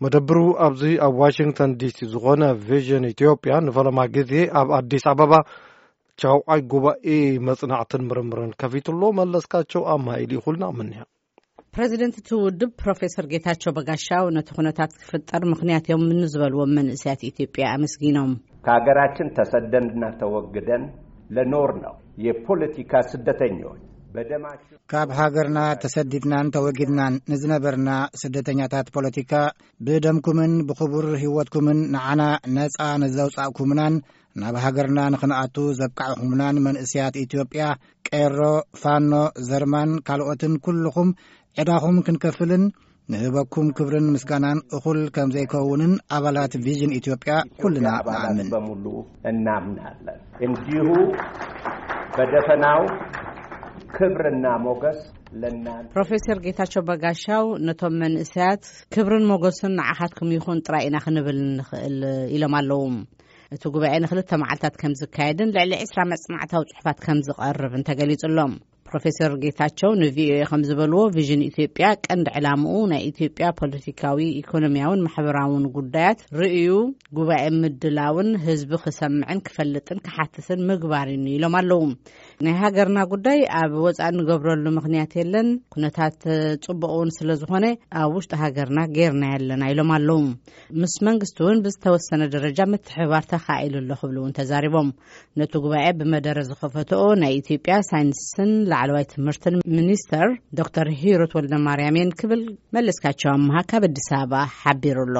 መደብሩ ኣብዚ ኣብ ዋሽንግተን ዲሲ ዝኾነ ቪዥን ኢትዮጵያ ንፈለማ ግዜ ኣብ ኣዲስ ኣበባ ቻውዓይ ጉባኤ መጽናዕትን ምርምርን ከፊትሎ። መለስካቸው ኣማኢል ይኹልና ምንያ። ፕሬዚደንት እቲ ውድብ ፕሮፌሰር ጌታቸው በጋሻው ነቲ ኩነታት ክፍጠር ምኽንያት እዮም ንዝበልዎም መንእሰያት ኢትዮጵያ ኣመስጊኖም። ከሀገራችን ተሰደንና ተወግደን ለኖር ነው የፖለቲካ ስደተኞች በደማችን ካብ ሃገርና ተሰዲድናን ተወጊድናን ንዝነበርና ስደተኛታት ፖለቲካ፣ ብደምኩምን ብኽቡር ህይወትኩምን ንዓና ነጻ ንዘውጻእኩምናን ናብ ሃገርና ንኽንኣቱ ዘብቃዕኹምናን መንእስያት ኢትዮጵያ፣ ቄሮ፣ ፋኖ፣ ዘርማን ካልኦትን ኩልኹም ዕዳኹም ክንከፍልን ንህበኩም ክብርን ምስጋናን እኹል ከም ዘይከውንን ኣባላት ቪዥን ኢትዮጵያ ኩልና ኣባላት ንኣምን። በሙሉ እናምናለን። እንዲሁ በደፈናው ክብርና ሞገስ ለእናንተ። ፕሮፌሰር ጌታቸው በጋሻው ነቶም መንእሰያት ክብርን ሞገስን ንዓኻትኩም ይኹን ጥራይ ኢና ክንብል ንኽእል ኢሎም ኣለዉ። እቲ ጉባኤ ንክልተ መዓልታት ከም ዝካየድን ልዕሊ ዕስራ መጽናዕታዊ ጽሑፋት ከም ዝቐርብን ተገሊጹ ኣሎ። ፕሮፌሰር ጌታቸው ንቪኦኤ ከም ዝበልዎ፣ ቪዥን ኢትዮጵያ ቀንዲ ዕላምኡ ናይ ኢትዮጵያ ፖለቲካዊ፣ ኢኮኖሚያውን ማሕበራውን ጉዳያት ርእዩ ጉባኤ ምድላውን ህዝቢ ክሰምዕን ክፈልጥን ክሓትትን ምግባር እዩ ኢሎም ኣለዉ። ናይ ሃገርና ጉዳይ ኣብ ወጻኢ እንገብረሉ ምኽንያት የለን። ኩነታት ጽቡቕ እውን ስለ ዝኾነ ኣብ ውሽጢ ሃገርና ጌርና ኣለና ኢሎም ኣለዉ። ምስ መንግስቲ እውን ብዝተወሰነ ደረጃ ምትሕብባር ተኻኢሉ ኣሎ ክብሉ እውን ተዛሪቦም። ነቲ ጉባኤ ብመደረ ዝኸፈትኦ ናይ ኢትዮጵያ ሳይንስን ላዕለዋይ ትምህርትን ሚኒስተር ዶክተር ሂሩት ወልደ ማርያም እየን ክብል መለስካቸው ኣምሃ ካብ ኣዲስ ኣበባ ሓቢሩ ኣሎ።